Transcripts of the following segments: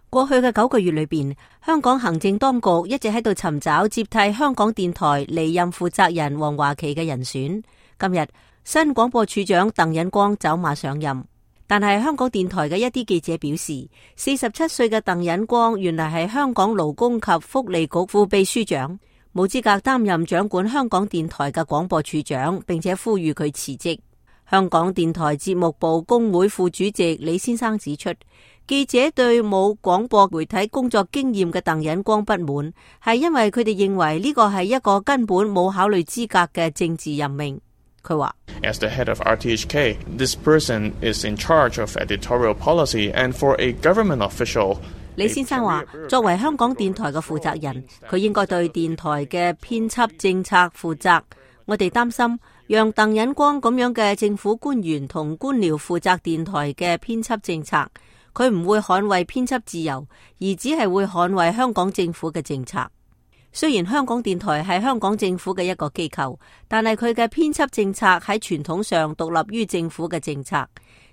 過去嘅9個月裏邊，香港行政當局一直喺度尋找接替香港電台離任負責人黃華琪嘅人選。今日新廣播處長鄧忍光走馬上任，但係香港電台嘅一啲記者表示，47歲嘅鄧忍光原來係香港勞工及福利局副秘書長，冇資格擔任掌管香港電台嘅廣播處長，並且呼籲佢辭職。香港電台節目部工會副主席李先生指出，記者對冇廣播媒體工作經驗嘅鄧忍光不滿，係因為佢哋認為呢個係一個根本冇考慮資格嘅政治任命。佢話：As the head of RTHK, this person is in charge of editorial policy, and for a government official。李先生話，作為香港電台嘅負責人，佢應該對電台嘅編輯政策負責。我哋擔心，讓鄧忍光咁樣嘅政府官員同官僚負責電台嘅編輯政策，佢唔會捍衛編輯自由，而只係會捍衛香港政府嘅政策。雖然香港電台係香港政府嘅一個機構，但係佢嘅編輯政策喺傳統上獨立於政府嘅政策。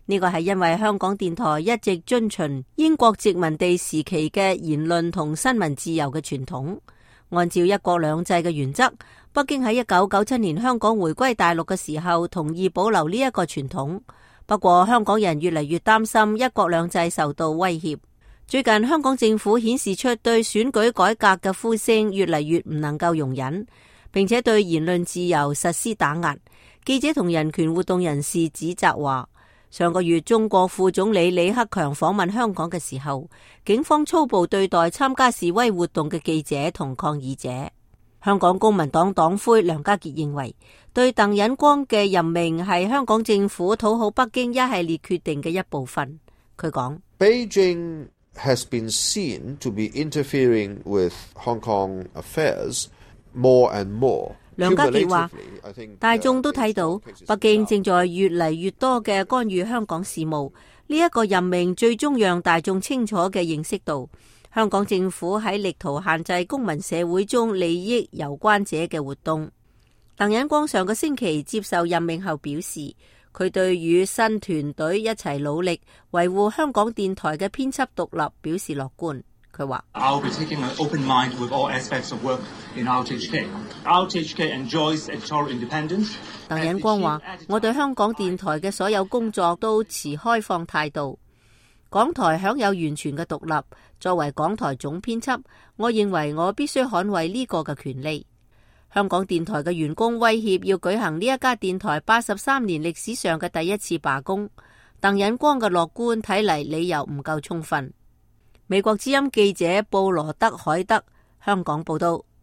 呢個係因為香港電台一直遵循英國殖民地時期嘅言論同新聞自由嘅傳統。按照一國兩制嘅原則，北京喺1997年香港回歸大陸嘅時候同意保留呢一個傳統。不過香港人越嚟越擔心一國兩制受到威脅。最近香港政府顯示出對選舉改革嘅呼聲越嚟越唔能夠容忍，並且對言論自由實施打壓。記者同人權活動人士指責話，上個月中國副總理李克強訪問香港嘅時候，警方粗暴對待參加示威活動嘅記者同抗議者。香港公民黨黨魁梁家傑認為，對鄧忍光嘅任命係香港政府討好北京一系列決定嘅一部分。佢講：Beijing has been seen to be interfering with Hong Kong affairs more and more。梁家傑話，大眾都睇到北京正在越嚟越多嘅干預香港事務。呢一個任命最終讓大眾清楚嘅認識到，香港政府喺力圖限制公民社會中利益攸關者嘅活動。鄧忍光上個星期接受任命後表示，佢對與新團隊一齊努力維護香港電台嘅編輯獨立表示樂觀。佢話：I'll be taking an open mind with all aspects of work in RTHK. RTHK enjoys editorial independence. 鄧忍光話：我對香港電台嘅所有工作都持開放態度。港台享有完全嘅獨立。作為港台總編輯，我認為我必須捍衛呢個嘅權利。香港電台嘅員工威脅要舉行呢一家電台83年歷史上嘅第一次罷工。鄧忍光嘅樂觀睇嚟理由唔夠充分。美國之音記者布羅德海德香港報道。